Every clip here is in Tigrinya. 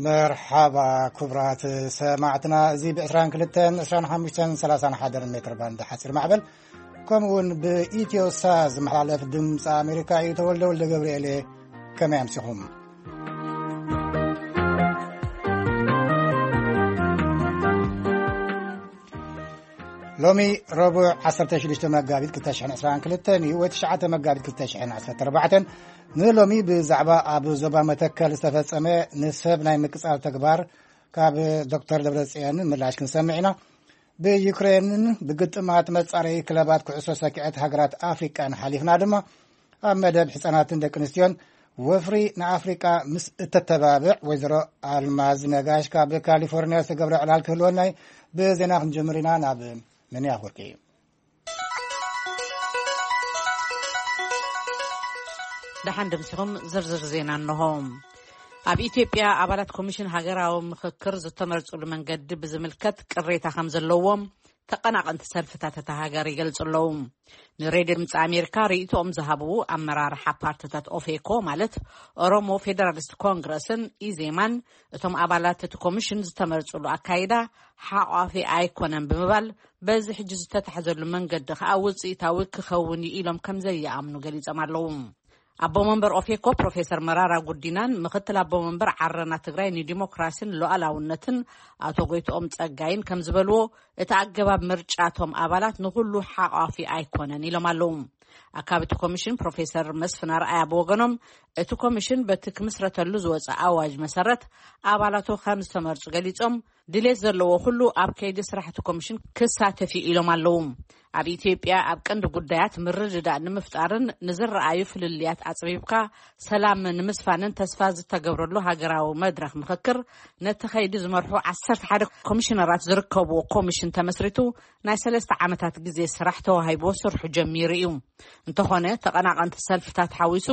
መርሓባ ክቡራት ሰማዕትና፣ እዚ ብ22፣ 25፣ 31 ሜትር ባንድ ሓፂር ማዕበል፣ ከምኡ እውን ብኢትዮ ሳት ዝመሓላለፍ ድምፂ ኣሜሪካ እዩ። ተወልደ ወልደ ገብርኤል እየ። ከመይ ኣምሲኹም? ሎሚ ረቡዕ 16 መጋቢት 2022 እዩ፣ ወይ 9 መጋቢት 2014። ንሎሚ ብዛዕባ ኣብ ዞባ መተከል ዝተፈጸመ ንሰብ ናይ ምቅጻል ተግባር ካብ ዶክተር ደብረጽዮን ምላሽ ክንሰምዕ ኢና። ብዩክሬንን ብግጥማት መጻረዪ ክለባት ኩዕሶ ሰኪዐት ሃገራት ኣፍሪቃን ሓሊፍና ድማ፣ ኣብ መደብ ሕጻናትን ደቂ ኣንስትዮን ወፍሪ ንኣፍሪቃ ምስ እተተባብዕ ወይዘሮ ኣልማዝ ነጋሽ ካብ ካሊፎርኒያ ዝተገብረ ዕላል ክህልወና እዩ። ብዜና ክንጀምር ኢና። ናብ ምንያ ኣፈወርቂ እዩ። ደሓን ደምሲኹም ዝርዝር ዜና እንሆ። ኣብ ኢትዮጵያ ኣባላት ኮሚሽን ሃገራዊ ምኽክር ዝተመርጹሉ መንገዲ ብዝምልከት ቅሬታ ከም ዘለዎም ተቐናቐንቲ ሰልፍታት እታ ሃገር ይገልጹ ኣለዉ። ንሬድዮ ድምፂ ኣሜሪካ ርእይቶኦም ዝሃቡ ኣመራርሓ ፓርትታት ኦፌኮ፣ ማለት ኦሮሞ ፌደራሊስት ኮንግረስን ኢዜማን፣ እቶም ኣባላት እቲ ኮሚሽን ዝተመርጹሉ ኣካይዳ ሓቋፊ ኣይኮነን ብምባል፣ በዚ ሕጂ ዝተታሕዘሉ መንገዲ ከኣ ውፅኢታዊ ክኸውን እዩ ኢሎም ከም ዘይኣምኑ ገሊጾም ኣለዉ። ኣቦ መንበር ኦፌኮ ፕሮፌሰር መራራ ጉዲናን ምክትል ኣቦ መንበር ዓረና ትግራይ ንዲሞክራሲን ሉዓላውነትን ኣቶ ጎይትኦም ጸጋይን ከም ዝበልዎ፣ እቲ ኣገባብ ምርጫ እቶም ኣባላት ንኹሉ ሓቋፊ ኣይኮነን ኢሎም ኣለዉ። ኣካቢ እቲ ኮሚሽን ፕሮፌሰር መስፍን ኣርኣያ ብወገኖም፣ እቲ ኮሚሽን በቲ ክምስረተሉ ዝወጸ ኣዋጅ መሰረት ኣባላቱ ከም ዝተመርጹ ገሊጾም፣ ድሌት ዘለዎ ኩሉ ኣብ ከይዲ ስራሕ እቲ ኮሚሽን ክሳተፍ እዩ ኢሎም ኣለዉ። ኣብ ኢትዮጵያ ኣብ ቀንዲ ጉዳያት ምርድዳእ ንምፍጣርን ንዝረኣዩ ፍልልያት ኣጽቢብካ ሰላም ንምስፋንን ተስፋ ዝተገብረሉ ሃገራዊ መድረኽ ምኽክር፣ ነቲ ከይዲ ዝመርሑ 11 ኮሚሽነራት ዝርከብዎ ኮሚሽን ተመስሪቱ ናይ ሰለስተ ዓመታት ግዜ ስራሕ ተዋሂብዎ ስርሑ ጀሚሩ እዩ። እንተኾነ፣ ተቐናቐንቲ ሰልፍታት ሓዊሱ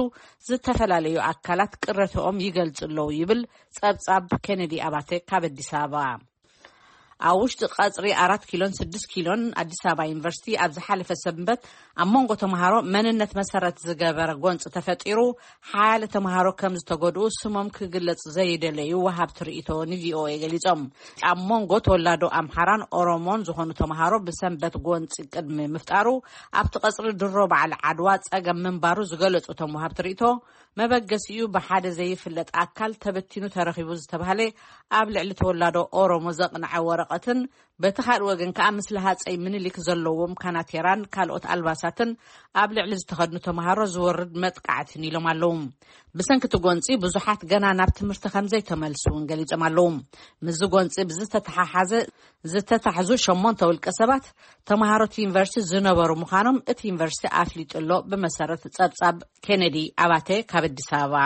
ዝተፈላለዩ ኣካላት ቅረትኦም ይገልጹ ኣለዉ ይብል ጸብጻብ ኬነዲ ኣባተ ካብ ኣዲስ ኣበባ። ኣብ ውሽጢ ቀጽሪ ኣራት ኪሎን ስድስት ኪሎን ኣዲስ ኣበባ ዩኒቨርሲቲ ኣብ ዝሓለፈ ሰንበት ኣብ መንጎ ተምሃሮ መንነት መሰረት ዝገበረ ጎንፂ ተፈጢሩ፣ ሓያለ ተምሃሮ ከም ዝተጎድኡ ስሞም ክግለጽ ዘይደለዩ ወሃብቲ ርእይቶ ንቪኦኤ ገሊጾም። ኣብ መንጎ ተወላዶ ኣምሓራን ኦሮሞን ዝኾኑ ተምሃሮ ብሰንበት ጎንፂ ቅድሚ ምፍጣሩ፣ ኣብቲ ቀጽሪ ድሮ በዓል ዓድዋ ጸገም ምንባሩ ዝገለጹ እቶም ወሃብቲ ርእይቶ፣ መበገሲኡ ብሓደ ዘይፍለጥ ኣካል ተበቲኑ ተረኺቡ ዝተባህለ ኣብ ልዕሊ ተወላዶ ኦሮሞ ዘቕንዐ ወረቐትን፣ በቲ ካልእ ወገን ከኣ ምስለ ሃጸይ ምኒልክ ዘለዎም ካናቴራን ካልኦት ኣልባሳትን ኣብ ልዕሊ ዝተኸድኑ ተምሃሮ ዝወርድ መጥቃዕትን ኢሎም ኣለዉ። ብሰንኪ እቲ ጎንጺ ብዙሓት ገና ናብ ትምህርቲ ከም ዘይተመልሱ እውን ገሊጾም ኣለዉ። ምስዚ ጎንጺ ብዝተተሓሓዘ ዝተታሕዙ ሸሞንተ ውልቀ ሰባት ተምሃሮ እቲ ዩኒቨርሲቲ ዝነበሩ ምዃኖም እቲ ዩኒቨርሲቲ ኣፍሊጡ ኣሎ፣ ብመሰረት ጸብጻብ ኬነዲ ኣባተ ካብ ኣዲስ ኣበባ።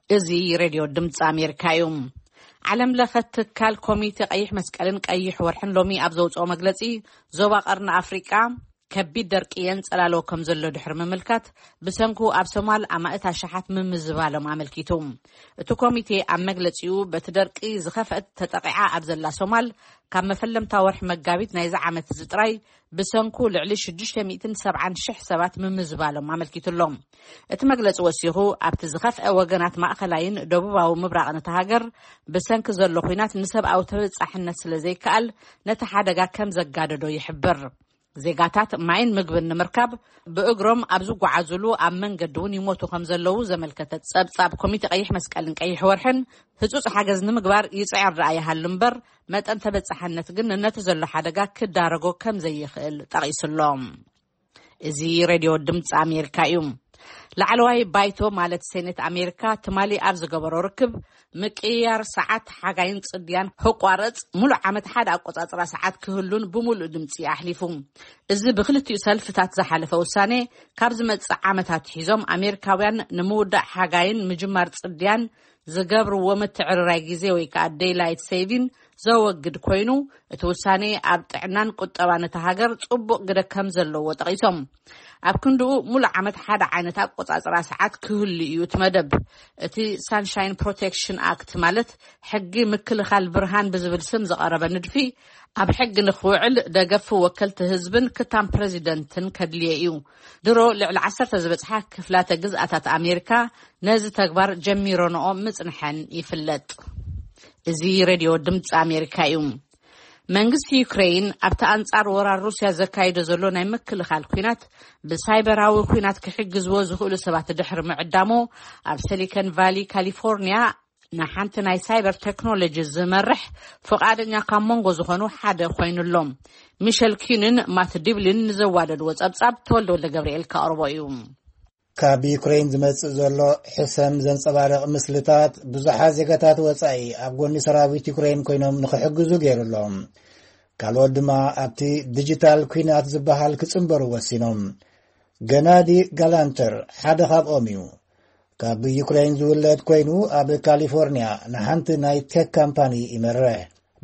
እዚ ሬድዮ ድምፂ ኣሜሪካ እዩ። ዓለም ለኸ ትካል ኮሚቴ ቀይሕ መስቀልን ቀይሕ ወርሕን ሎሚ ኣብ ዘውፅኦ መግለፂ፣ ዞባ ቀርኒ ኣፍሪቃ ከቢድ ደርቂ የንፀላሎ ከም ዘሎ ድሕሪ ምምልካት፣ ብሰንኩ ኣብ ሶማል ኣማእት ኣሽሓት ምምዝባሎም ኣመልኪቱ። እቲ ኮሚቴ ኣብ መግለፂኡ፣ በቲ ደርቂ ዝኸፍአት ተጠቂዓ ኣብ ዘላ ሶማል፣ ካብ መፈለምታ ወርሒ መጋቢት ናይዚ ዓመት እዚ ጥራይ ብሰንኩ ልዕሊ ሽዱሽተ ሚእትን ሰብዓን ሽሕ ሰባት ምምዝባሎም ኣመልኪቱ ኣሎ። እቲ መግለጺ ወሲኹ፣ ኣብቲ ዝኸፍአ ወገናት ማእኸላይን ደቡባዊ ምብራቕን እታ ሃገር ብሰንኪ ዘሎ ኲናት ንሰብኣዊ ተበጻሕነት ስለ ዘይከኣል፣ ነቲ ሓደጋ ከም ዘጋደዶ ይሕብር። ዜጋታት ማይን ምግብን ንምርካብ ብእግሮም ኣብ ዝጓዓዙሉ ኣብ መንገዲ እውን ይሞቱ ከም ዘለዉ ዘመልከተ ጸብጻብ ኮሚቴ ቀይሕ መስቀልን ቀይሕ ወርሕን፣ ህጹጽ ሓገዝ ንምግባር ይጽዕር ደኣ ይሃሉ እምበር፣ መጠን ተበጻሕነት ግን ነቲ ዘሎ ሓደጋ ክዳረጎ ከም ዘይኽእል ጠቒሱ ኣሎ። እዚ ሬድዮ ድምፂ ኣሜሪካ እዩ። ላዕለዋይ ባይቶ ማለት ሴኔት ኣሜሪካ ትማሊ ኣብ ዝገበሮ ርክብ፣ ምቅይያር ሰዓት ሓጋይን ጽድያን ክቋረጽ፣ ሙሉእ ዓመት ሓደ ኣቆጻጽራ ሰዓት ክህሉን ብምሉእ ድምፂ ኣሕሊፉ። እዚ ብክልቲኡ ሰልፍታት ዝሓለፈ ውሳኔ፣ ካብ ዝመጽእ ዓመት ኣትሒዞም ኣሜሪካውያን ንምውዳእ ሓጋይን ምጅማር ጽድያን ዝገብርዎ ምትዕርራይ ግዜ ወይ ከዓ ዴይላይት ሴቪን ዘወግድ ኮይኑ፣ እቲ ውሳኔ ኣብ ጥዕናን ቁጠባን እታ ሃገር ጽቡቕ ግደ ከም ዘለዎ ጠቒሶም፣ ኣብ ክንድኡ ሙሉእ ዓመት ሓደ ዓይነት ኣቆጻጽራ ሰዓት ክህሉ እዩ እቲ መደብ። እቲ ሳንሻይን ፕሮቴክሽን ኣክት፣ ማለት ሕጊ ምክልኻል ብርሃን ብዝብል ስም ዝቐረበ ንድፊ፣ ኣብ ሕጊ ንክውዕል ደገፍ ወከልቲ ህዝብን ክታም ፕረዚደንትን ከድልዮ እዩ። ድሮ ልዕሊ ዓሰርተ ዝበጽሓ ክፍላተ ግዝኣታት ኣሜሪካ ነዚ ተግባር ጀሚረንኦ ምጽንሐን ይፍለጥ። እዚ ሬድዮ ድምፂ ኣሜሪካ እዩ። መንግስቲ ዩክሬን ኣብቲ ኣንጻር ወራር ሩስያ ዘካይዶ ዘሎ ናይ ምክልኻል ኲናት ብሳይበራዊ ኲናት ክሕግዝዎ ዝኽእሉ ሰባት ድሕሪ ምዕዳሙ፣ ኣብ ሲሊኮን ቫሊ ካሊፎርኒያ ንሓንቲ ናይ ሳይበር ቴክኖሎጂ ዝመርሕ ፍቓደኛ ካብ መንጎ ዝኾኑ ሓደ ኮይኑሎም። ሚሸል ኪንን ማት ዲብሊን ንዘዋደድዎ ጸብጻብ ተወልደ ወልደ ገብርኤል ከቕርቦ እዩ። ካብ ዩክሬን ዝመጽእ ዘሎ ሕሰም ዘንጸባርቕ ምስልታት፣ ብዙሓት ዜጋታት ወጻኢ ኣብ ጎኒ ሰራዊት ዩክሬን ኮይኖም ንኽሕግዙ ገይሩሎም። ካልኦት ድማ ኣብቲ ዲጂታል ኲናት ዝበሃል ክጽንበሩ ወሲኖም። ገናዲ ጋላንተር ሓደ ካብኦም እዩ። ካብ ዩክሬን ዝውለድ ኮይኑ፣ ኣብ ካሊፎርኒያ ንሓንቲ ናይ ቴክ ካምፓኒ ይመርሕ።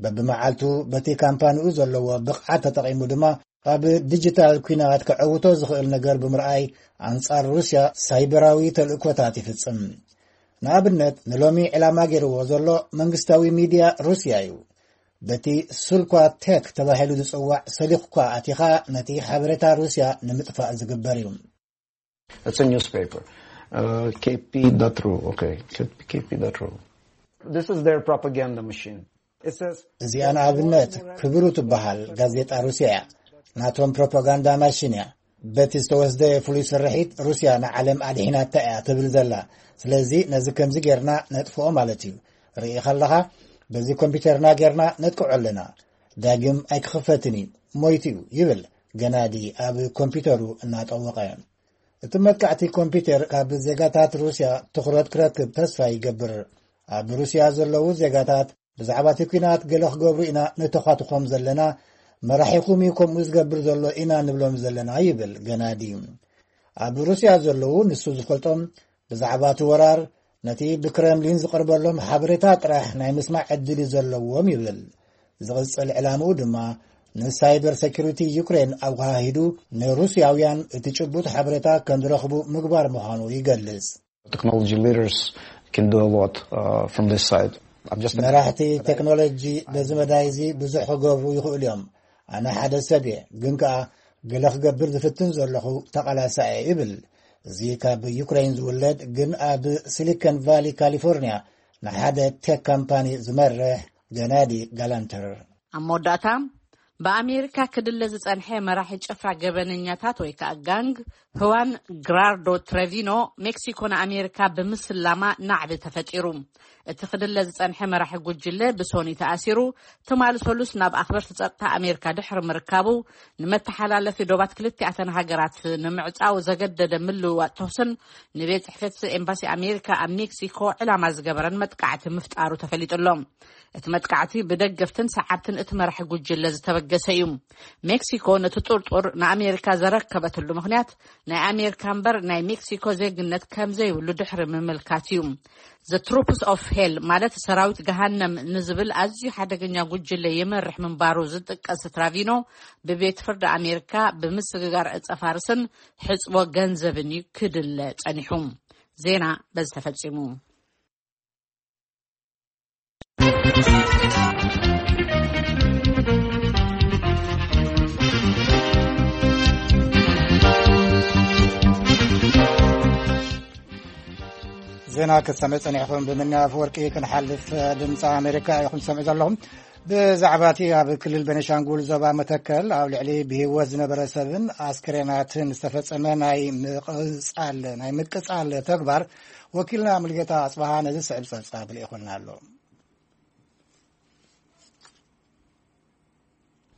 በብመዓልቱ በቲ ካምፓኒኡ ዘለዎ ብቕዓት ተጠቒሙ ድማ ኣብ ዲጂታል ኲናት ከዐውቶ ዝኽእል ነገር ብምርኣይ፣ ኣንጻር ሩስያ ሳይበራዊ ተልእኮታት ይፍጽም። ንኣብነት፣ ንሎሚ ዕላማ ገይርዎ ዘሎ መንግስታዊ ሚድያ ሩስያ እዩ። በቲ ሱልኳ ቴክ ተባሂሉ ዝጽዋዕ ሰሊኽኳ ኣቲኻ፣ ነቲ ሓበሬታ ሩስያ ንምጥፋእ ዝግበር እዩ። It's a newspaper. Uh, K P dot ru. Okay, K P dot ru. This is their propaganda machine. It says, እዚኣ ንኣብነት ክብሩ ትበሃል ጋዜጣ ሩስያ እያ። ናቶም ፕሮፓጋንዳ ማሽን እያ። በቲ ዝተወስደ ፍሉይ ስርሒት፣ ሩስያ ንዓለም ኣድሒናታ እያ ትብል ዘላ። ስለዚ ነዚ ከምዚ ጌርና ነጥፍኦ ማለት እዩ። ርኢ ከለኻ፣ በዚ ኮምፒውተርና ጌርና ነጥቅዖ ኣለና። ዳግም ኣይክኽፈትን እዩ፣ ሞይቱ እዩ ይብል ገናዲ ኣብ ኮምፒውተሩ እናጠወቐ። እቲ መጥቃዕቲ ኮምፒውተር ካብ ዜጋታት ሩስያ ትኹረት ክረክብ ተስፋ ይገብር። ኣብ ሩስያ ዘለዉ ዜጋታት ብዛዕባ እቲ ኲናት ገለ ክገብሩ ኢና ንተዃትኾም ዘለና፣ መራሒኹም እዩ ከምኡ ዝገብር ዘሎ ኢና ንብሎም ዘለና ይብል ገናዲ። ኣብ ሩስያ ዘለዉ ንሱ ዝፈልጦም ብዛዕባ እቲ ወራር ነቲ ብክረምሊን ዝቐርበሎም ሓበሬታ ጥራሕ ናይ ምስማዕ ዕድል እዩ ዘለዎም ይብል። ዝቕጽል ዕላምኡ ድማ ንሳይበር ሴኩሪቲ ዩክሬን ኣወሃሂዱ ንሩስያውያን እቲ ጭቡጥ ሓበሬታ ከም ዝረኽቡ ምግባር ምዃኑ ይገልጽ። Technology leaders can do a lot uh, from this side. I'm just መራሕቲ ቴክኖሎጂ በዚ መዳይ እዚ ብዙሕ ክገብሩ ይኽእሉ እዮም። ኣነ ሓደ ሰብ እየ፣ ግን ከኣ ገለ ክገብር ዝፍትን ዘለኹ ተቓላሳይ እየ ይብል። እዚ ካብ ዩክሬን ዝውለድ ግን ኣብ ሲሊኮን ቫሊ ካሊፎርኒያ ንሓደ ቴክ ካምፓኒ ዝመርሕ ገናዲ ጋላንተር። ኣብ መወዳእታ፣ ብኣሜሪካ ክድለ ዝጸንሐ መራሒ ጭፍራ ገበነኛታት ወይ ከኣ ጋንግ፣ ህዋን ግራርዶ ትሬቪኖ፣ ሜክሲኮ ንኣሜሪካ ብምስላማ ናዕቢ ተፈጢሩ። እቲ ክድለ ዝጸንሐ መራሒ ጉጅለ ብሶኒ ተኣሲሩ፣ ትማሊ ሰሉስ ናብ ኣኽበርቲ ጸጥታ ኣሜሪካ ድሕሪ ምርካቡ፣ ንመተሓላለፊ ዶባት ክልቲኣተን ሃገራት ንምዕጻው ዘገደደ ምልውዋጥ ተኹስን ንቤት ጽሕፈት ኤምባሲ ኣሜሪካ ኣብ ሜክሲኮ ዕላማ ዝገበረን መጥቃዕቲ ምፍጣሩ ተፈሊጡ ኣሎ። እቲ መጥቃዕቲ ብደገፍትን ሰዓብትን እቲ መራሒ ጉጅለ ዝተበገሰ እዩ። ሜክሲኮ ነቲ ጥርጡር ንኣሜሪካ ዘረከበትሉ ምኽንያት፣ ናይ ኣሜሪካ እምበር ናይ ሜክሲኮ ዜግነት ከም ዘይብሉ ድሕሪ ምምልካት እዩ። The Troops of Hell፣ ማለት ሰራዊት ገሃነም ንዝብል ኣዝዩ ሓደገኛ ጉጅለ ይመርሕ ምንባሩ ዝጥቀስ ትራቪኖ፣ ብቤት ፍርዲ ኣሜሪካ ብምስግጋር ዕጸ ፋርስን ሕጽቦ ገንዘብን እዩ ክድለ ጸኒሑ። ዜና በዚ ተፈጺሙ። ዜና ክትሰምዑ ጸኒሕኩም። ብምንያ ኣፈወርቂ ክንሓልፍ። ድምፂ ኣሜሪካ ኢኹም ትሰምዑ ዘለኹም። ብዛዕባ እቲ ኣብ ክልል ቤኒሻንጉል ዞባ መተከል ኣብ ልዕሊ ብህይወት ዝነበረ ሰብን ኣስክሬናትን ዝተፈጸመ ናይ ምቕጻል ናይ ምቅጻል ተግባር፣ ወኪልና ሙልጌታ ኣጽብሃ ነዚ ስዕብ ጸብጻብ ልኢኹልና ኣሎ።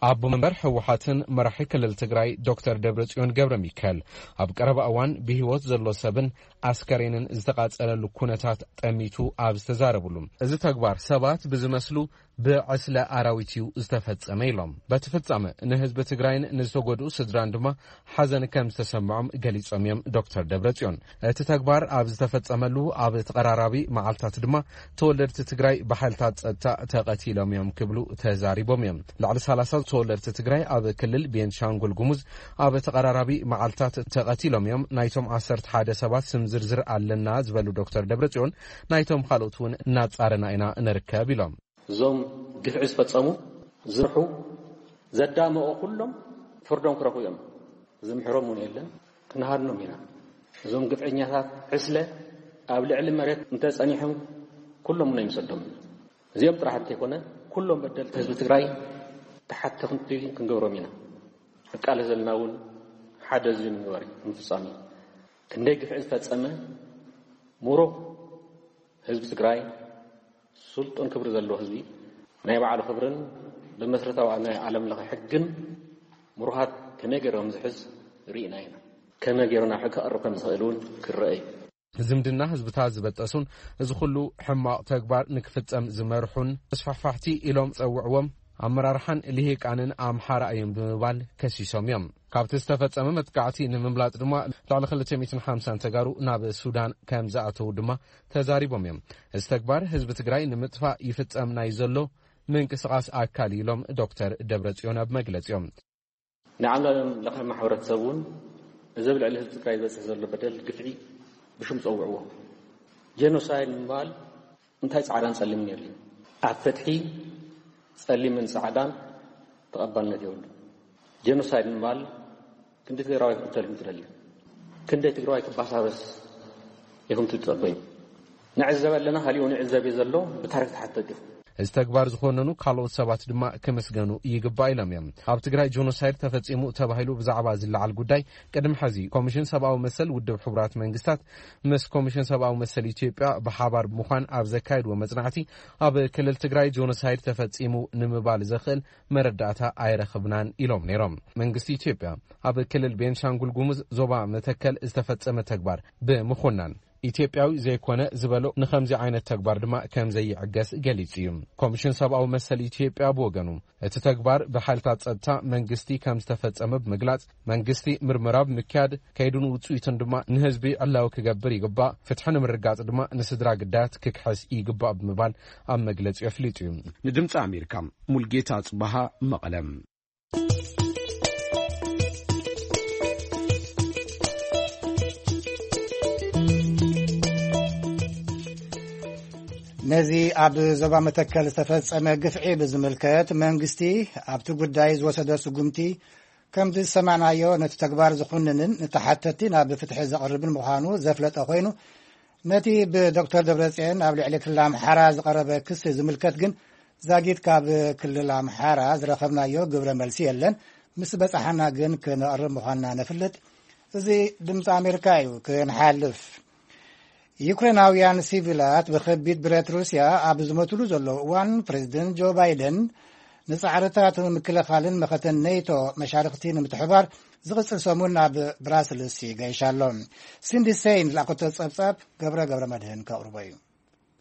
ኣቦ መንበር ህወሓትን መራሒ ክልል ትግራይ ዶክተር ደብረጽዮን ገብረ ሚካኤል፣ ኣብ ቀረባ እዋን ብህይወት ዘሎ ሰብን ኣስከሬንን ዝተቓጸለሉ ኩነታት ጠሚቱ ኣብ ዝተዛረብሉ፣ እዚ ተግባር ሰባት ብዝመስሉ ብዕስለ ኣራዊት እዩ ዝተፈጸመ ኢሎም። በቲ ፍጻመ ንህዝቢ ትግራይን ንዝተጎድኡ ስድራን ድማ ሓዘን ከም ዝተሰምዖም ገሊጾም እዮም ዶክተር ደብረጽዮን። እቲ ተግባር ኣብ ዝተፈጸመሉ ኣብ ተቐራራቢ መዓልታት ድማ ተወለድቲ ትግራይ ብሓይልታት ጸጥታ ተቐቲሎም እዮም ክብሉ ተዛሪቦም እዮም። ልዕሊ ሰላሳ ተወለድቲ ትግራይ ኣብ ክልል ቤንሻንጉል ጉሙዝ ኣብ ተቐራራቢ መዓልታት ተቐቲሎም እዮም። ናይቶም ዓሰርተ ሓደ ሰባት ስም ዝርዝር ኣለና ዝበሉ ዶክተር ደብረጽዮን፣ ናይቶም ካልኦት እውን እናጻረና ኢና ንርከብ ኢሎም። እዞም ግፍዒ ዝፈጸሙ፣ ዝርሑ፣ ዘዳመቑ ኩሎም ፍርዶም ክረኽቡ እዮም። ዝምሕሮም እውን የለን፣ ክንሃድኖም ኢና። እዞም ግፍዐኛታት ዕስለ ኣብ ልዕሊ መሬት እንተጸኒሖም ኩሎም እውን ኣይንሰዶምን። እዚኦም ጥራሕ እንተይኮነ፣ ኩሎም በደልቲ ህዝቢ ትግራይ ተሓተኽቲ ክንገብሮም ኢና። ንቃለስ ዘለና እውን ሓደ እዚ ንምግባር እዩ፣ ንምፍጻም እዩ። ክንደይ ግፍዒ ዝፈጸመ ምሩቕ ህዝቢ ትግራይ፣ ስልጡን ክብሪ ዘለዎ ህዝቢ፣ ናይ ባዕሉ ክብርን ብመሰረታዊ ናይ ዓለም ለኸ ሕግን ምሩኻት ከመይ ገይሮም ዝሕዝ ርኢና ኢና። ከመይ ገይሩ ናብ ሕጊ ክቐርብ ከም ዝኽእል እውን ክረአ እዩ። ዝምድና ህዝብታት ዝበጠሱን እዚ ኩሉ ሕማቕ ተግባር ንክፍጸም ዝመርሑን ተስፋሕፋሕቲ ኢሎም ጸውዕዎም ኣመራርሓን ልሂቃንን ኣምሓራ እዮም ብምባል ከሲሶም እዮም። ካብቲ ዝተፈጸመ መጥቃዕቲ ንምምላጥ ድማ ልዕሊ ክልተ ሚእትን ሓምሳን ተጋሩ ናብ ሱዳን ከም ዝኣተዉ ድማ ተዛሪቦም እዮም። እዚ ተግባር ህዝቢ ትግራይ ንምጥፋእ ይፍጸም ናይ ዘሎ ምንቅስቓስ ኣካል ኢሎም ዶክተር ደብረጽዮን ኣብ መግለጺኦም። ንዓለም ለኸ ማሕበረተሰብ እውን እዚ ኣብ ልዕሊ ህዝቢ ትግራይ ዝበፅሕ ዘሎ በደል ግፍዒ ብሽም ፀውዕዎ። ጄኖሳይድ ንምባል እንታይ ፃዕዳን ፀሊምን የድልዩ? ኣብ ፍትሒ ፀሊምን ፃዕዳን ተቐባልነት የብሉ። ጄኖሳይድ ንምባል ክንዲ ትግራዋይ ክቕተል ትደሊ? ክንደይ ትግራዋይ ክባሳበስ ኢኹም ትጸበዩ? ንዕዘብ ኣለና፣ ካሊኡ ንዕዘብ እዩ ዘሎ፣ ብታሪክ ተሓተቱ። እዚ ተግባር ዝኾነኑ ካልኦት ሰባት ድማ ክምስገኑ ይግባእ ኢሎም እዮም። ኣብ ትግራይ ጆኖሳይድ ተፈጺሙ ተባሂሉ ብዛዕባ ዝለዓል ጉዳይ ቅድሚ ሕዚ ኮሚሽን ሰብኣዊ መሰል ውድብ ሕቡራት መንግስታት ምስ ኮሚሽን ሰብኣዊ መሰል ኢትዮጵያ ብሓባር ብምዃን ኣብ ዘካየድዎ መጽናዕቲ ኣብ ክልል ትግራይ ጆኖሳይድ ተፈጺሙ ንምባል ዘኽእል መረዳእታ ኣይረኽብናን ኢሎም ነይሮም። መንግስቲ ኢትዮጵያ ኣብ ክልል ቤንሻንጉል ጉሙዝ ዞባ መተከል ዝተፈጸመ ተግባር ብምኹናን ኢትዮጵያዊ ዘይኮነ ዝበሎ ንኸምዚ ዓይነት ተግባር ድማ ከም ዘይዕገስ ገሊጹ እዩ። ኮሚሽን ሰብኣዊ መሰል ኢትዮጵያ ብወገኑ እቲ ተግባር ብሓይልታት ጸጥታ መንግስቲ ከም ዝተፈጸመ ብምግላጽ መንግስቲ ምርመራ ብምክያድ ከይዱን ውጽኢቱን ድማ ንህዝቢ ዕላዊ ክገብር ይግባእ፣ ፍትሒ ንምርጋጽ ድማ ንስድራ ግዳያት ክክሕስ ይግባእ ብምባል ኣብ መግለጺ ኣፍሊጡ እዩ። ንድምፂ ኣሜሪካ ሙልጌታ ጽባሃ መቐለም። ነዚ ኣብ ዞባ መተከል ዝተፈጸመ ግፍዒ ብዝምልከት መንግስቲ ኣብቲ ጉዳይ ዝወሰደ ስጉምቲ ከምቲ ዝሰማዕናዮ ነቲ ተግባር ዝኹንንን ንተሓተቲ ናብ ፍትሒ ዘቕርብን ምዃኑ ዘፍለጠ ኮይኑ ነቲ ብዶክተር ደብረጽዮን ኣብ ልዕሊ ክልል ኣምሓራ ዝቐረበ ክሲ ዝምልከት ግን ዛጊት ካብ ክልል ኣምሓራ ዝረኸብናዮ ግብረ መልሲ የለን። ምስ በጻሓና ግን ክነቕርብ ምዃንና ነፍልጥ። እዚ ድምፂ ኣሜሪካ እዩ። ክንሓልፍ ዩክሬናውያን ሲቪላት ብኸቢድ ብረት ሩስያ ኣብ ዝመትሉ ዘለዉ እዋን ፕሬዚደንት ጆ ባይደን ንጻዕርታት ምክልኻልን መኸተን ኔቶ መሻርክቲ ንምትሕባር ዝቕጽል ሰሙን ናብ ብራስልስ ይገይሽ ኣሎ። ሲንዲ ሴይን ዝለኣኸቶ ጸብጻብ ገብረ ገብረ መድህን ከቕርቦ እዩ።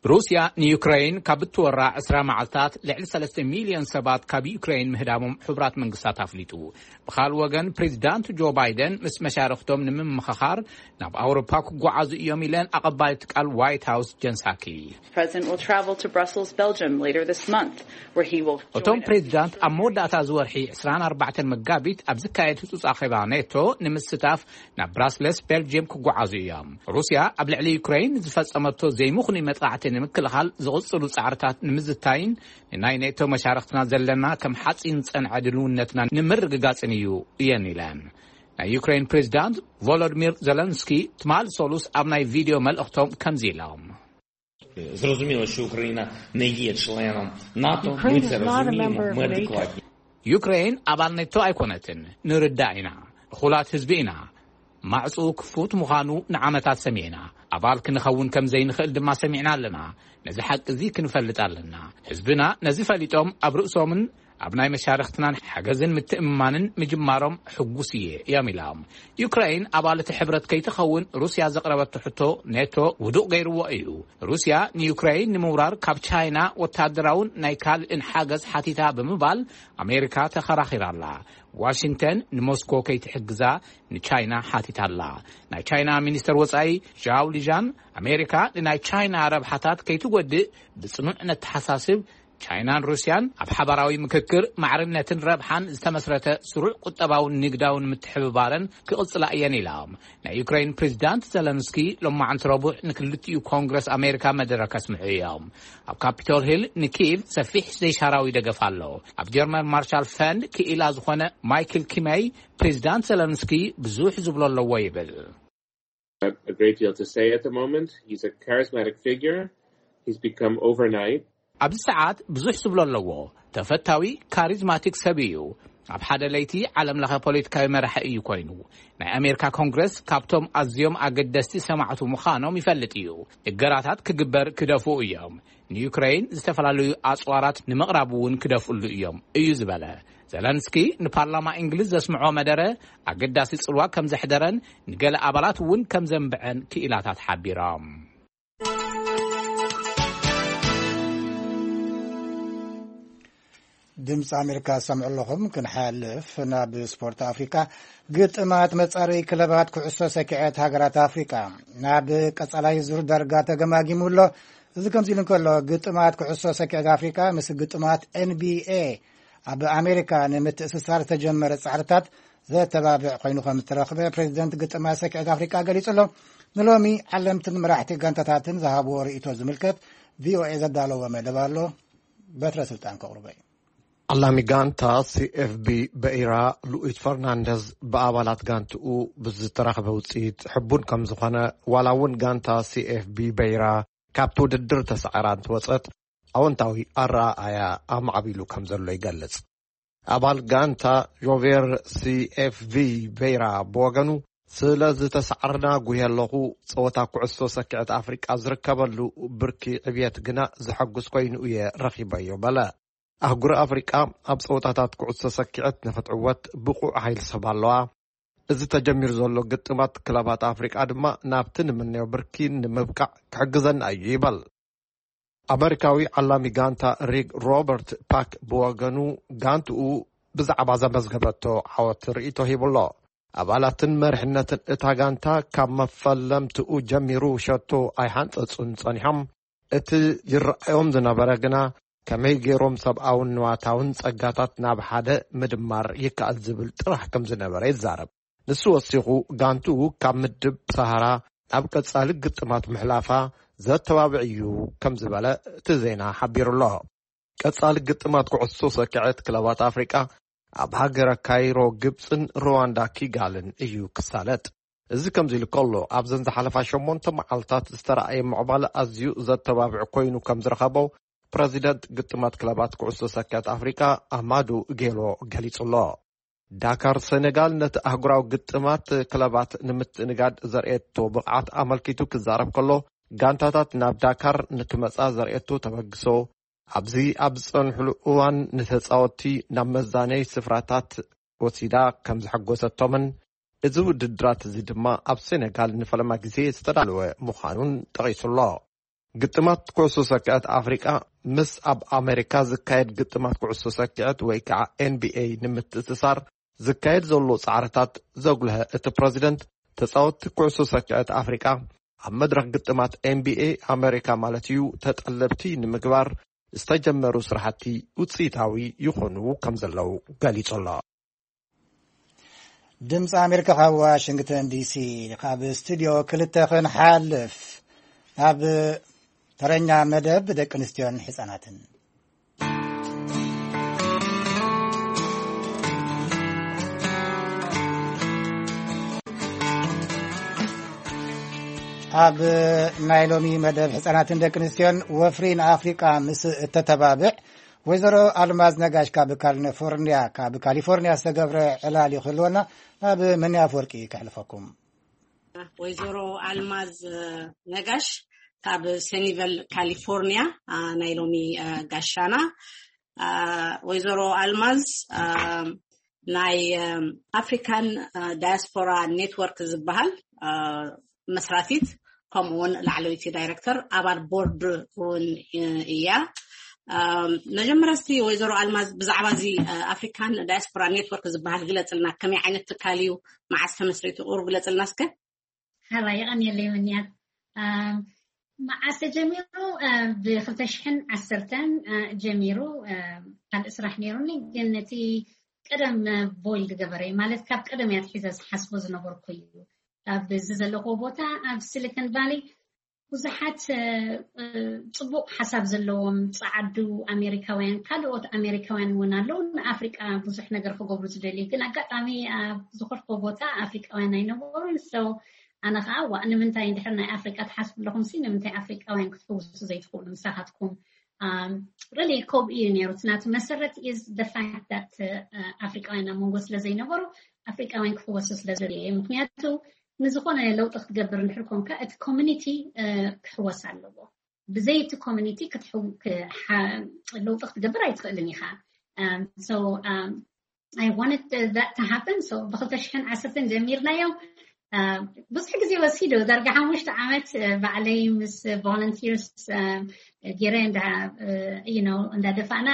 ሩስያ ንዩክሬን ካብ እትወራ ዕስራ መዓልታት ልዕሊ ሰለስተ ሚልዮን ሰባት ካብ ዩክሬን ምህዳሞም ሕቡራት መንግስታት ኣፍሊጡ። ብኻል ወገን ፕሬዚዳንት ጆ ባይደን ምስ መሻርክቶም ንምምኽኻር ናብ ኣውሮፓ ክጓዓዙ እዮም ኢለን ኣቐባሊት ቃል ዋይት ሃውስ ጀን ሳኪ። President will travel to Brussels, Belgium later this month, where he will እቶም ፕሬዚዳንት ኣብ መወዳእታ ዝወርሒ ዕስራን ኣርባዕተን መጋቢት ኣብ ዝካየድ ህጹጽ ኣኼባ ኔቶ ንምስታፍ ናብ ብራስለስ ቤልጅየም ክጓዓዙ እዮም። ሩስያ ኣብ ልዕሊ ዩክሬን ዝፈጸመቶ ዘይምኽኑይ መጥቃዕቲ ንምክልኻል ዝቕጽሉ ጻዕርታት ንምዝታይን ንናይ ኔቶ መሻርክትና ዘለና ከም ሓጺን ዝጸንዐ ድልውነትና ንምርግጋጽን እዩ እየን ኢለን። ናይ ዩክሬን ፕሬዚዳንት ቮሎዲሚር ዘለንስኪ ትማሊ ሰሉስ ኣብ ናይ ቪድዮ መልእኽቶም ከምዚ ኢሎም። Зрозуміло, що Україна не є членом НАТО, ми це розуміємо, ми адекватні. ዩክሬን ኣባል ኔቶ ኣይኮነትን፣ ንርዳእ ኢና። እኹላት ህዝቢ ኢና። ማዕፁ ክፉት ምዃኑ ንዓመታት ሰሚዕና። ኣባል ክንኸውን ከም ዘይንኽእል ድማ ሰሚዕና ኣለና። ነዚ ሓቂ እዚ ክንፈልጥ ኣለና። ህዝብና ነዚ ፈሊጦም ኣብ ርእሶምን ኣብ ናይ መሻርኽትናን ሓገዝን ምትእምማንን ምጅማሮም ሕጉስ እየ እዮም ኢሎም። ዩክራይን ኣባል እቲ ሕብረት ከይትኸውን ሩስያ ዘቕረበቶ ሕቶ ኔቶ ውዱቕ ገይርዎ እዩ። ሩስያ ንዩክራይን ንምውራር ካብ ቻይና ወታደራውን ናይ ካልእን ሓገዝ ሓቲታ ብምባል ኣሜሪካ ተኸራኺራ ኣላ። ዋሽንግተን ንሞስኮ ከይትሕግዛ ንቻይና ሓቲታ ኣላ። ናይ ቻይና ሚኒስተር ወጻኢ ዣው ሊዣን ኣሜሪካ ንናይ ቻይና ረብሓታት ከይትጎድእ ብጽኑዕ ነተሓሳስብ፣ ቻይናን ሩስያን ኣብ ሓባራዊ ምክክር ማዕርነትን ረብሓን ዝተመስረተ ስሩዕ ቁጠባውን ንግዳውን ምትሕብባረን ክቕጽላ እየን ኢላ። ናይ ዩክሬን ፕሬዚዳንት ዘለንስኪ ሎማዓንቲ ረቡዕ ንክልቲኡ ኮንግረስ ኣሜሪካ መደረ ከስምዑ እዮም። ኣብ ካፒቶል ሂል ንኪቭ ሰፊሕ ዘይሻራዊ ደገፍ ኣሎ። ኣብ ጀርመን ማርሻል ፈንድ ክኢላ ዝኾነ ማይክል ኪመይ ፕሬዚዳንት ዘለንስኪ ብዙሕ ዝብሎ ኣለዎ ይብል። A great deal to say at the moment. He's a charismatic figure. He's become overnight. ኣብዚ ሰዓት ብዙሕ ዝብሎ ኣለዎ። ተፈታዊ፣ ካሪዝማቲክ ሰብ እዩ። ኣብ ሓደ ለይቲ ዓለም ለኸ ፖለቲካዊ መራሒ እዩ ኮይኑ። ናይ ኣሜሪካ ኮንግረስ ካብቶም ኣዝዮም ኣገደስቲ ሰማዕቱ ምዃኖም ይፈልጥ እዩ። እገራታት ክግበር ክደፍኡ እዮም። ንዩክሬን ዝተፈላለዩ ኣጽዋራት ንምቕራብ እውን ክደፍእሉ እዮም እዩ ዝበለ። ዘለንስኪ ንፓርላማ እንግሊዝ ዘስምዖ መደረ ኣገዳሲ ጽልዋ ከም ዘሕደረን ንገለ ኣባላት እውን ከም ዘንብዐን ክኢላታት ሓቢሮም። ድምፂ ኣሜሪካ ዝሰምዑ ኣለኹም። ክንሓልፍ ናብ ስፖርት ኣፍሪካ፣ ግጥማት መፃረይ ክለባት ኩዕሶ ሰኪዐት ሃገራት ኣፍሪካ ናብ ቀፃላይ ዙር ዳርጋ ተገማጊሙ ኣሎ። እዚ ከምዚ ኢሉ እንከሎ፣ ግጥማት ኩዕሶ ሰኪዐት ኣፍሪካ ምስ ግጥማት ኤንቢኤ ኣብ ኣሜሪካ ንምትእስሳር ዝተጀመረ ፃዕርታት ዘተባብዕ ኮይኑ ከም ዝተረኽበ ፕሬዚደንት ግጥማት ሰኪዐት ኣፍሪካ ገሊጹ ኣሎ። ንሎሚ ዓለምትን መራሕቲ ጋንታታትን ዝሃብዎ ርእይቶ ዝምልከት ቪኦኤ ዘዳለዎ መደብ ኣሎ። በትረ ስልጣን ከቕርቦ እዩ። ዓላሚ ጋንታ ሲኤፍቢ በኢራ ሉዊስ ፈርናንደዝ ብኣባላት ጋንትኡ ብዝተረኽበ ውፅኢት ሕቡን ከም ዝኾነ፣ ዋላ እውን ጋንታ ሲኤፍቢ በይራ ካብቲ ውድድር ተሳዒራ እንትወፀት፣ ኣወንታዊ ኣረኣእያ ኣማዕቢሉ ከም ዘሎ ይገልጽ። ኣባል ጋንታ ጆቬር ሲኤፍቪ ቬራ ብወገኑ፣ ስለ ዝተሳዕርና ጉየ ኣለኹ። ጸወታ ኩዕሶ ሰኪዐት ኣፍሪቃ ዝርከበሉ ብርኪ ዕብየት ግና ዘሐጉስ ኮይኑ እየ ረኺበዮ በለ። ኣህጉር ኣፍሪቃ ኣብ ጸወታታት ኩዕሶ ሰኪዐት ንኽትዕወት ብቑዕ ሓይሊ ሰብ ኣለዋ። እዚ ተጀሚሩ ዘሎ ግጥማት ክለባት ኣፍሪቃ ድማ ናብቲ ንምነዮ ብርኪ ንምብቃዕ ክሕግዘና እዩ ይበል። ኣመሪካዊ ዓላሚ ጋንታ ሪግ ሮበርት ፓክ ብወገኑ፣ ጋንትኡ ብዛዕባ ዘመዝገበቶ ዓወት ርእይቶ ሂቡሎ። ኣባላትን መሪሕነትን እታ ጋንታ ካብ መፈለምትኡ ጀሚሩ ሸቶ ኣይሓንጸጹን ጸኒሖም። እቲ ይረኣዮም ዝነበረ ግና ከመይ ገይሮም ሰብኣውን ንዋታውን ጸጋታት ናብ ሓደ ምድማር ይከኣል ዝብል ጥራሕ ከም ዝነበረ ይዛረብ። ንሱ ወሲኹ፣ ጋንትኡ ካብ ምድብ ሰሃራ ናብ ቀጻሊ ግጥማት ምሕላፋ ዘተባብዕ እዩ ከም ዝበለ እቲ ዜና ሓቢሩ ኣሎ። ቀጻሊ ግጥማት ኩዕሶ ሰኪዐት ክለባት ኣፍሪቃ ኣብ ሃገረ ካይሮ፣ ግብጽን ሩዋንዳ ኪጋልን እዩ ክሳለጥ። እዚ ከምዚ ኢሉ ከሎ፣ ኣብዘን ዝሓለፋ ሸሞንተ መዓልታት ዝተረኣየ ምዕባለ ኣዝዩ ዘተባብዕ ኮይኑ ከም ዝረኸቦ ፕረዚደንት ግጥማት ክለባት ኩዕሶ ሰኪዐት ኣፍሪቃ ኣማዱ ጌሎ ገሊጹ ኣሎ። ዳካር ሴኔጋል ነቲ ኣህጉራዊ ግጥማት ክለባት ንምትእንጋድ ዘርእየቶ ብቕዓት ኣመልኪቱ ክዛረብ ከሎ፣ ጋንታታት ናብ ዳካር ንክመጻ ዘርእየቶ ተበግሶ፣ ኣብዚ ኣብ ዝጸንሕሉ እዋን ንተጻወትቲ ናብ መዛነይ ስፍራታት ወሲዳ ከም ዘሐጎሰቶምን፣ እዚ ውድድራት እዚ ድማ ኣብ ሴኔጋል ንፈለማ ግዜ ዝተዳለወ ምዃኑን ጠቒሱ ኣሎ። ግጥማት ኩዕሶ ሰኪዐት ኣፍሪቃ ምስ ኣብ ኣሜሪካ ዝካየድ ግጥማት ኩዕሶ ሰኪዐት ወይ ከዓ ኤንቢኤ ንምትእስሳር ዝካየድ ዘሎ ጻዕርታት ዘጉልሀ እቲ ፕረዚደንት፣ ተጻወትቲ ኩዕሶ ሰኪዐት ኣፍሪቃ ኣብ መድረኽ ግጥማት ኤንቢኤ ኣሜሪካ ማለት እዩ ተጠለብቲ ንምግባር ዝተጀመሩ ስራሕቲ ውጽኢታዊ ይኾኑ ከም ዘለዉ ገሊጹ ኣሎ። ድምፂ ኣሜሪካ ካብ ዋሽንግተን ዲሲ፣ ካብ ስቱዲዮ ክልተ ክንሓልፍ ናብ ተረኛ መደብ ደቂ ኣንስትዮን ህፃናትን። ኣብ ናይ ሎሚ መደብ ህፃናትን ደቂ ኣንስትዮን፣ ወፍሪ ንኣፍሪቃ ምስ እተተባብዕ ወይዘሮ ኣልማዝ ነጋሽ ካብ ካሊፎርኒያ፣ ካብ ካሊፎርኒያ ዝተገብረ ዕላል ይኽህልወና፣ ናብ መኒ ኣፍወርቂ ከሕልፈኩም። ወይዘሮ ኣልማዝ ነጋሽ ካብ ሰኒቨል ካሊፎርኒያ፣ ኣ፣ ናይ ሎሚ፣ ኣ፣ ጋሻና። ኣ፣ ወይዘሮ ኣልማዝ፣ ኣ፣ ናይ፣ እ፣ ኣፍሪካን፣ እ፣ ዳያስፖራ ኔትወርክ ዝበሃል፣ እ፣ መስራቲት፣ ከምኡ እውን ላዕለወይቲ ዳይሬክተር፣ ኣባል ቦርድ እውን፣ እ፣ እያ። እ፣ መጀመርያ እስቲ ወይዘሮ ኣልማዝ ብዛዕባ እዚ፣ እ፣ ኣፍሪካን ዳያስፖራ ኔትወርክ ዝበሃል ግለፅልና፣ ከመይ ዓይነት ትካል እዩ፣ መዓስ ተመስሪቱ፣ ቁሩብ ግለፅልና እስከ። ሓራይ የቐንየለይ ምንያት። ኣም፣ መዓስ ተጀሚሩ? እ፣ ብኽልተ ሽሕን ዓሰርተን፣ እ፣ ጀሚሩ፣ እ፣ ካልእ ስራሕ ነይሩኒ፣ ግን እቲ ቀደም፣ እ፣ ቦይል ዝገበረ እዩ። ማለት፣ ካብ ቀደም እያ ኣትሒዘ ዝሓስቦ ዝነበርኩ እዩ። ኣብ እዚ ዘለኹዎ ቦታ፣ ኣብ ሲሊኮን ቫሊ፣ ብዙሓት፣ እ፣ እ፣ ጽቡቕ ሓሳብ ዘለዎም ጸዓዱ ኣሜሪካውያን፣ ካልኦት ኣሜሪካውያን እውን ኣለዉ፣ ንኣፍሪቃ ብዙሕ ነገር ክገብሩ ዝደልዩ። ግን ኣጋጣሚ ኣብ ዝኾንኩዎ ቦታ ኣፍሪቃውያን ኣይነበሩን። So ኣነ ኸኣ፣ "ዋእ፣ ንምንታይ እንድሕር ናይ ኣፍሪቃ ትሓስቡ ኣለኹም ሲ፣ ንምንታይ ኣፍሪቃውያን ክትሕውሱ ዘይትኽእሉ ምሳኻትኩም?" really ከምኡ እዩ ነይሩ። እቲ ናቱ መሰረት is the fact that ኣፍሪቃውያን ኣብ መንጎ ስለ ዘይነበሩ ኣፍሪቃውያን ክሕወሱ ስለ ዘድልዩ እዩ። ምክንያቱ ንዝኾነ ለውጢ ክትገብር እንድሕር ኮንካ እቲ ኮሚኒቲ ክሕወስ ኣለዎ። ብዘይ እቲ ኮሚኒቲ ለውጢ ክትገብር ኣይትኽእልን ኢኻ። So I wanted that to happen. So ብክልተ ሽሕን ዓሰርተን ጀሚርናዮ። ብዙሕ ግዜ ወሲዱ። ዳርጋ ሓሙሽተ ዓመት ባዕለይ ምስ volunteers ገይረ እንዳደፋእና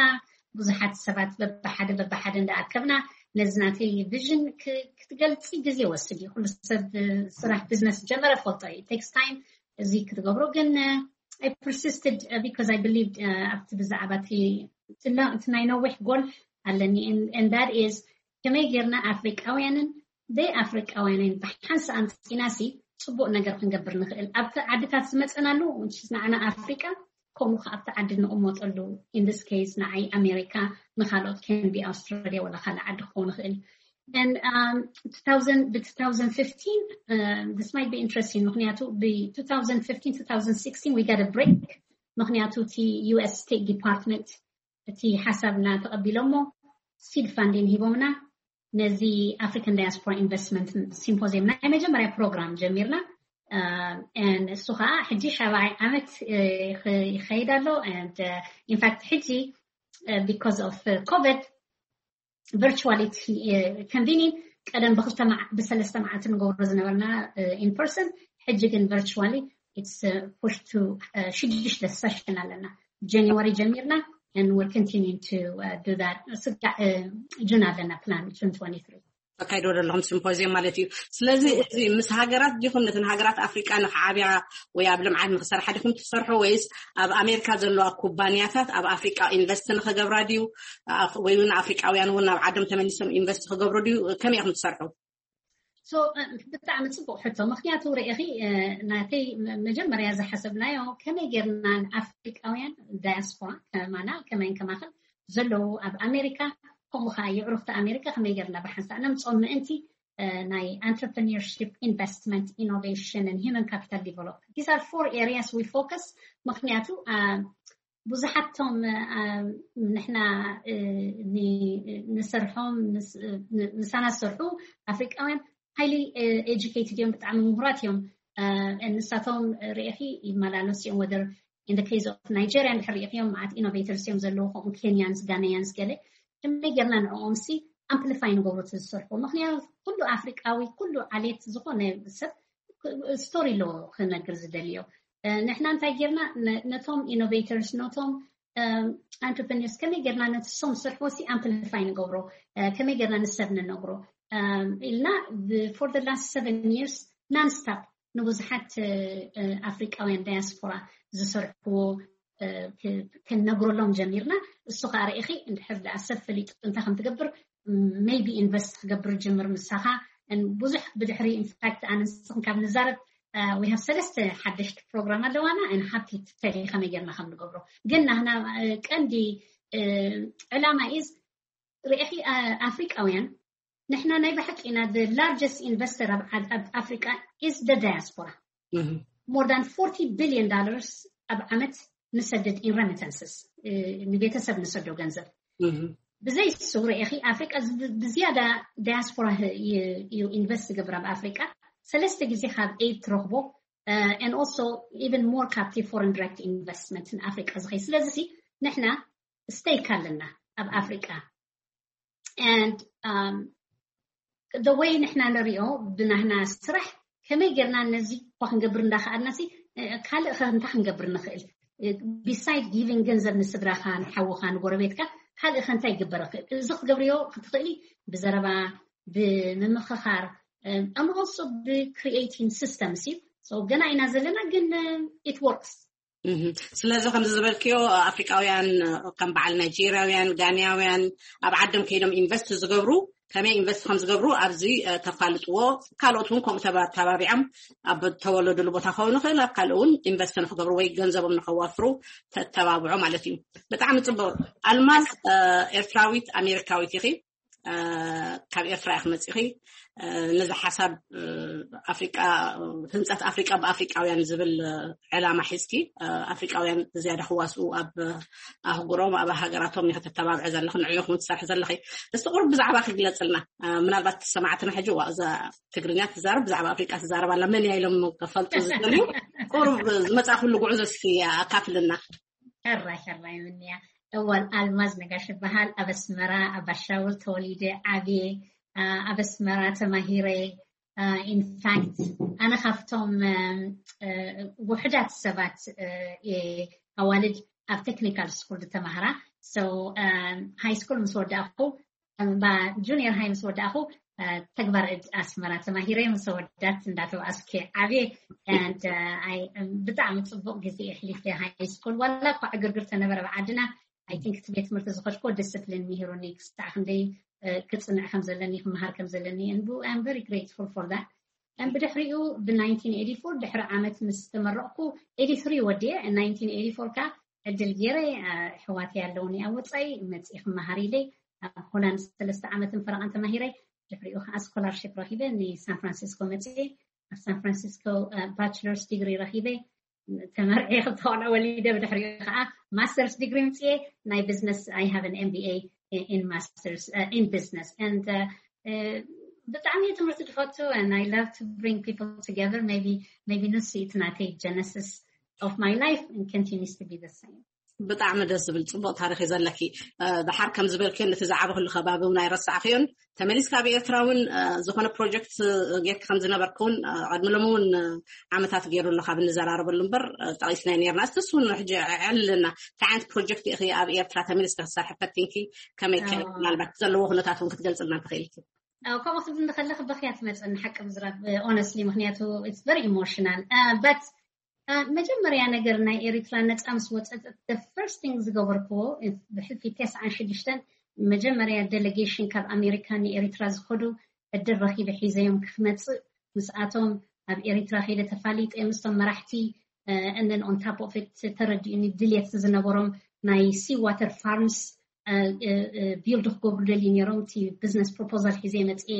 ብዙሓት ሰባት በብሓደ በብሓደ እንዳኣከብና ነዚ ናተይ ቪዥን ክትገልፂ ግዜ ወስድ እዩ። ኩሉ ሰብ ስራሕ ቢዝነስ ጀመረ ፈልጦ እዩ። Takes time እዚ ክትገብሮ ግን I persisted because I believed ኣብቲ ብዛዕባ እቲ ናይ ነዊሕ ጎል ኣለኒ። And that is ከመይ ጌርና ኣፍሪቃውያንን ደይ ኣፍሪቃውያንን ብሓንሳ ኣምፂናሲ ፅቡቅ ነገር ክንገብር ንኽእል ኣብቲ ዓድታት ዝመፀናሉ ንዓና ኣፍሪቃ ከምኡ ከ ኣብቲ ዓዲ ንቕመጠሉ። In this case ንዓይ ኣሜሪካ፣ ንካልኦት can be ኣውስትራሊያ ወላ ካልእ ዓዲ ክኸውን ይኽእል። And um, two thousand, the two thousand fifteen, uh, this might be interesting. ምክንያቱ ብ two thousand fifteen, two thousand sixteen we got a break. ምክንያቱ እቲ U S State Department እቲ ሓሳብና ተቐቢሎሞ seed funding ሂቦምና። ነዚ African Diaspora Investment Symposium ናይ መጀመርያ ፕሮግራም ጀሚርና። እሱ ከዓ ሕጂ ሻብዓይ ዓመት ይኸይድ ኣሎ። In fact ሕጂ because of COVID virtually convening ቀደም ብክልተ ብሰለስተ መዓልቲ ንገብሮ ዝነበርና in person ሕጂ ግን virtually it's pushed to ሽዱሽተ session ኣለና። January ጀሚርና and we're continuing to do that. ስጋዕ ጁን ኣለና plan, June twenty-three. ተካይዶ ዘለኹም ሲምፖዚየም ማለት እዩ። ስለዚ እዚ ምስ ሃገራት ዲኹም ነተን ሃገራት ኣፍሪቃ ንክዓብያ ወይ ኣብ ልምዓት ንክሰርሓ ዲኹም ትሰርሑ ወይስ ኣብ ኣሜሪካ ዘለዋ ኩባንያታት ኣብ ኣፍሪቃ ኢንቨስት ንክገብራ ድዩ ወይ እውን ኣፍሪቃውያን እውን ናብ ዓዶም ተመሊሶም ኢንቨስት ክገብሩ ድዩ? ከመይ ኢኹም ትሰርሑ? So ብጣዕሚ ፅቡቅ ሕቶ። ምክንያቱ ርኢኺ ናተይ መጀመርያ ዝሓሰብናዮ ከመይ ጌርና ንኣፍሪቃውያን ዳያስፖራ ከማና ከመይን ከማኽን ዘለዉ ኣብ ኣሜሪካ ከምኡ ከዓ የዕሩኽቲ ኣሜሪካ ከመይ ጌርና ብሓንሳእ ነምፅኦም ምእንቲ ናይ entrepreneurship, investment, innovation and human capital development. These are four areas we focus. ምክንያቱ ብዙሓቶም ንሕና ንሰርሖም ምሳና ዝሰርሑ ኣፍሪቃውያን highly educated እዮም፣ ብጣዕሚ ምሁራት እዮም። ንሳቶም ርኢኺ ይመላለሱ እዮም። Whether in the case of Nigeria እንድሕር ርኢኽዮም መዓት innovators እዮም ዘለዉ፣ ከምኡ Kenyans, Ghanaians ገለ። ከመይ ጌርና ንዕኦም ሲ amplify ንገብሮ እቲ ዝሰርሑ? ምክንያቱ ኩሉ ኣፍሪቃዊ ኩሉ ዓሌት ዝኾነ ሰብ ስቶሪ ኣለዎ ክነግር ዝደልዮ። ንሕና እንታይ ጌርና ነቶም innovators ነቶም entrepreneurs ከመይ ጌርና ነቲ ሶም ዝሰርሕዎ ሲ amplify ንገብሮ፣ ከመይ ጌርና ንሰብ ንነግሮ ኢልና for the last seven years non stop ንብዙሓት ኣፍሪቃውያን ዳያስፖራ ዝሰርሕዎ ክንነግረሎም ጀሚርና። እሱ ከዓ ርኢኺ እንድሕር ደኣ ሰብ ፈሊጡ እንታይ ከም ትገብር maybe invest ክገብር ጅምር ምሳኻ። ብዙሕ ብድሕሪ in fact ኣነ ንስኽን ካብ ንዛረብ we have ሰለስተ ሓደሽቲ ፕሮግራም ኣለዋና and happy to tell you ከመይ ጌርና ከም ንገብሮ። ግን ናህና ቀንዲ ዕላማ is ርኢኺ ኣፍሪቃውያን ንሕና ናይ ብሓቂ ኢና the largest investor ኣብ ኣፍሪቃ is the diaspora. More than forty billion dollars ኣብ ዓመት ንሰድድ in remittances፣ ንቤተሰብ ንሰዶ ገንዘብ። ብዘይ እሱ ርኢኺ ኣፍሪቃ ብዝያዳ ዳያስፖራ እዩ ኢንቨስት ዝገብር ኣብ ኣፍሪቃ። ሰለስተ ግዜ ካብ aid ትረኽቦ and also even more ካብቲ foreign direct investment ንኣፍሪቃ ዝኸይ። ስለዚ ንሕና stake ኣለና ኣብ ኣፍሪቃ and the way ንሕና ንሪኦ ብናህና ስራሕ ከመይ ጌርና ነዚ እኳ ክንገብር እንዳኸኣልና ሲ ካልእ ኸ እንታይ ክንገብር ንኽእል? Beside giving ገንዘብ ንስድራኻ ንሓውኻ ንጎረቤትካ ካልእ ኸ እንታይ ይግበር ይኽእል? እዚ ክትገብርዮ ክትኽእሊ ብዘረባ ብምምኽኻር and also ብ creating systems እዩ። So ገና ኢና ዘለና ግን it works. ስለዚ ከምዚ ዝበልክዮ ኣፍሪቃውያን ከም በዓል ናይጄርያውያን፣ ጋንያውያን ኣብ ዓዶም ከይዶም ኢንቨስት ዝገብሩ ከመይ ኢንቨስት ከም ዝገብሩ ኣብዚ ተፋልጥዎ። ካልኦት እውን ከምኡ ተባቢዖም ኣብ ተወለዱሉ ቦታ ክኸውን ይኽእል ኣብ ካልእ እውን ኢንቨስት ንክገብሩ ወይ ገንዘቦም ንከዋፍሩ ተተባብዖ ማለት እዩ። ብጣዕሚ ፅቡቅ። ኣልማዝ ኤርትራዊት ኣሜሪካዊት ኢኺ። ካብ ኤርትራ ኢኺ መጺኺ። ነዚ ሓሳብ ኣፍሪቃ፣ ህንፀት ኣፍሪቃ ብኣፍሪቃውያን ዝብል ዕላማ ሒዝኪ ኣፍሪቃውያን ዝያዳ ክዋስኡ ኣብ ኣህጉሮም ኣብ ሃገራቶም ኢኺ ተተባብዐ ዘለኺ፣ ንዕኡ ኢኹም ትሰርሒ ዘለኺ። እስቲ ቁሩብ ብዛዕባ ክግለጽልና። ምናልባት ሰማዕትና ሕጂ ዋ እዛ ትግርኛ ትዛረብ ብዛዕባ ኣፍሪቃ ትዛረብ ኣላ መን እያ ኢሎም ክፈልጡ ዝደልዩ ቁሩብ ዝመጻእኩሉ ጉዕዞ እስኪ ኣካፍልና። ሕራይ ሕራይ ምንያ። እዋል ኣልማዝ ነጋሽ ይበሃል። ኣብ ኣስመራ ኣብ ባሻውል ተወሊደ ዓብየ። ኣብ ኣስመራ ተማሂረ። ኢንፋክት ኣነ ካብቶም ውሕዳት ሰባት ኣዋልድ ኣብ ቴክኒካል ስኩል ዝተማህራ። ሃይ ስኩል ምስ ወዳእኩ ጁኒየር ሃይ ምስ ወዳእኩ ተግባር እድ ኣስመራ ተማሂረ ምስ ወዳት እንዳተባኣስከ ዓብየ። ብጣዕሚ ፅቡቅ ግዜ የሕሊፈ ሃይ ስኩል ዋላ እኳ ዕግርግር ተነበረ ብዓድና። ኣይ ቲንክ እቲ ቤት ትምህርቲ ዝኸድኮ ዲስፕሊን ምሂሩኒ ክሳዕ ክንደይ ክፅንዕ ከም ዘለኒ ክመሃር ከም ዘለኒ። ቨሪ ግሬትፉል ፎር ዳት። ብድሕሪኡ ብ ናይንቲን ኤይቲ ፎር ድሕሪ ዓመት ምስ ተመረቕኩ ኤይቲ ትሪ ወዲየ። ናይንቲን ኤይቲ ፎር ካ ዕድል ገይረ ኣሕዋተይ ኣለውኒ ኣብ ወፃኢ መፅኢ ክመሃር ኢለ ኣብ ሆላንድ ሰለስተ ዓመትን ፈረቓን ተማሂረ። ድሕሪኡ ከዓ ስኮላርሽፕ ረኪበ ንሳን ፍራንሲስኮ መፅኤ። ኣብ ሳን ፍራንሲስኮ ባችለርስ ዲግሪ ረኪበ። ተመርዒ ክተቆልዑ ወሊደ ብድሕሪኡ ከዓ ማስተርስ ዲግሪ ምፅኤ ናይ ቢዝነስ። I have an M B A in masters in business and ብጣዕሚ ትምህርቲ ዝፈቱ። I love to bring people together. Maybe ንሱ እቲ ናተይ genesis of my life and continues to be the same. ብጣዕሚ ደስ ዝብል ፅቡቅ ታሪክ እዩ ዘለኪ። ድሓር ከም ዝበልክዮ ነቲ ዝዓበክሉ ከባቢ እውን ኣይረሳዕክዮን። ተመሊስካ ኣብ ኤርትራ እውን ዝኾነ ፕሮጀክት ጌርክ ከም ዝነበርክ እውን ቅድሚ ሎሚ እውን ዓመታት ገይሩ ኣሎ ካብ እንዘራረበሉ እምበር ጠቂስናዮ ነርና። እስቲ እሱ እውን ሕጂ ዕልና እንታይ ዓይነት ፕሮጀክት ኢኺ ኣብ ኤርትራ ተመሊስካ ክትሰርሒ ፈቲንኪ? ከመይ ከ ምናልባት ዘለዎ ኩነታት እውን ክትገልፅልና ትኽእልኪ? ከምኡ ክትብል እንከለኺ በኽያ ትመፅእኒ ሓቂ ምዝራብ ኦነስትሊ ምክንያቱ it's very emotional but መጀመርያ ነገር ናይ ኤሪትራ ነፃ ምስ ወፀጠት the first thing ዝገበርክዎ ብሕልፊ ተስዓን ሽዱሽተን መጀመርያ ዴሌጌሽን ካብ ኣሜሪካ ንኤሪትራ ዝኸዱ ዕድል ረኪበ ሒዘዮም ክመፅእ ምስኣቶም ኣብ ኤሪትራ ከይደ ተፋሊጠ ምስቶም መራሕቲ እነን on top of it ተረዲኡኒ ድልየት ዝነበሮም ናይ sea water farms build ክገብሩ ደልዩ ነይሮም። እቲ business proposal ሒዘ መፅኤ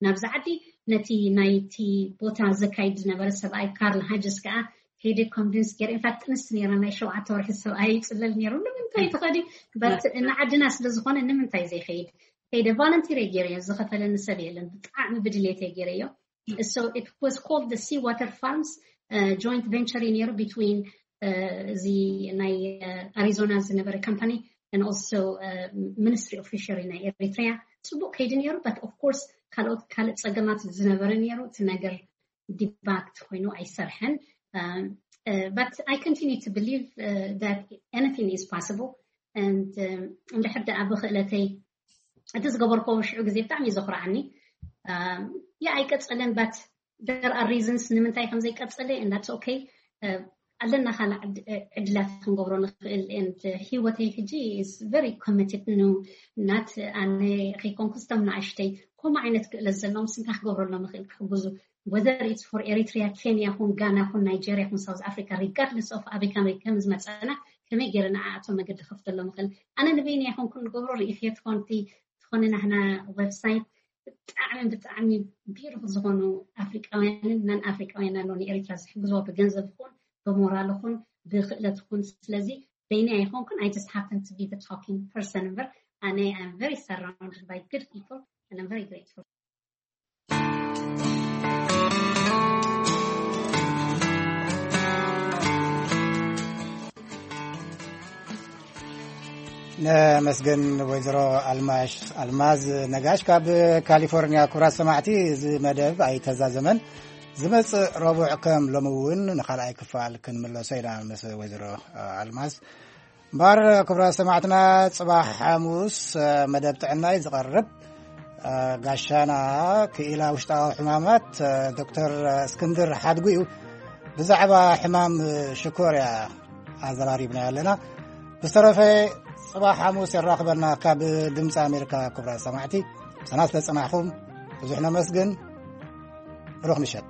ናብዚ ዓዲ ነቲ ናይቲ ቦታ ዘካይድ ዝነበረ ሰብኣይ ካርል ሃጅስ ከዓ ከይደ convince ገይረ። In fact ጥንስቲ ነይራ ናይ ሸውዓተ ወርሒ ሰብኣይ ይፅለል ነይሩ ንምንታይ ትኸዲ but ንዓድና ስለዝኾነ ንምንታይ ዘይኸይድ ከይደ volunteer ገይረዮ ዝኸፈለኒ ሰብ የለን ብጣዕሚ ብድልየት ገይረዮ። So it was called the sea water farms joint venture ነይሩ between እዚ ናይ ኣሪዞና ዝነበረ company and also ministry of fishery ናይ ኤሪትሪያ ፅቡቅ ከይዲ ነይሩ but of course ካልኦት ካልእ ፀገማት ዝነበረ ነይሩ እቲ ነገር debugged ኮይኑ ኣይሰርሐን but I continue to believe that anything is possible and እንድሕር ደኣ ብክእለተይ እቲ ዝገበርኮ ሽዑ ግዜ ብጣዕሚ እዩ ዘኩርዓኒ። ያ ኣይቀፀለን but there are reasons ንምንታይ ከም ዘይቀፀለ and that's okay ኣለና ካልእ ዕድላት ክንገብሮ ንኽእል and ህይወተይ ሕጂ is very committed ን not ኣነ ከይኮንኩ ስቶም ንኣሽተይ ከምኡ ዓይነት ክእለት ዘለዎም ስንታ ክገብረሎም ይኽእል ክሕግዙ whether it's for Eritrea Kenya ኹን ጋና ኹን ናይጀርያ ኹን ሳውዝ ኣፍሪካ regardless of ኣበይ ከም ዝመፀና ከመይ ገይረ ንዓኣቶም መገዲ ከፍተሎም ይኽእል ኣነ ንበይነይ ኣይኮንኩን ንገብሮ ርእኽዮ ትኾንቲ ዝኾነ ናህና website ብጣዕሚ ብጣዕሚ beautiful ዝኾኑ ኣፍሪቃውያንን non ኣፍሪቃውያን ኣለዉ ንኤሪትራ ዝሕግዝዎ ብገንዘብ ይኹን ብሞራል ይኹን ብክእለት ይኹን ስለዚ በይነይ ኣይኮንኩን I just happen to be the talking person እምበር ኣነ I'm very surrounded by good people and I'm very grateful. ነመስግን ወይዘሮ ኣልማሽ ኣልማዝ ነጋሽ ካብ ካሊፎርኒያ። ክቡራት ሰማዕቲ፣ እዚ መደብ ኣይተዛዘመን። ዝመጽእ ረቡዕ ከም ሎሚ እውን ንኻልኣይ ክፋል ክንምለሶ ኢና ምስ ወይዘሮ ኣልማዝ። እምበኣር ክቡራት ሰማዕትና፣ ጽባሕ ሓሙስ መደብ ጥዕና እዩ ዝቐርብ። ጋሻና ክኢላ ውሽጣዊ ሕማማት ዶክተር እስክንድር ሓድጉ እዩ። ብዛዕባ ሕማም ሽኮርያ ኣዘራሪብና ኣለና። ብዝተረፈ ጽባሕ ሓሙስ የራኽበና ካብ ድምፂ ኣሜሪካ። ክቡራት ሰማዕቲ፣ ምሳና ስለጸናሕኹም ብዙሕ ነመስግን። ብሩኽ ምሸት።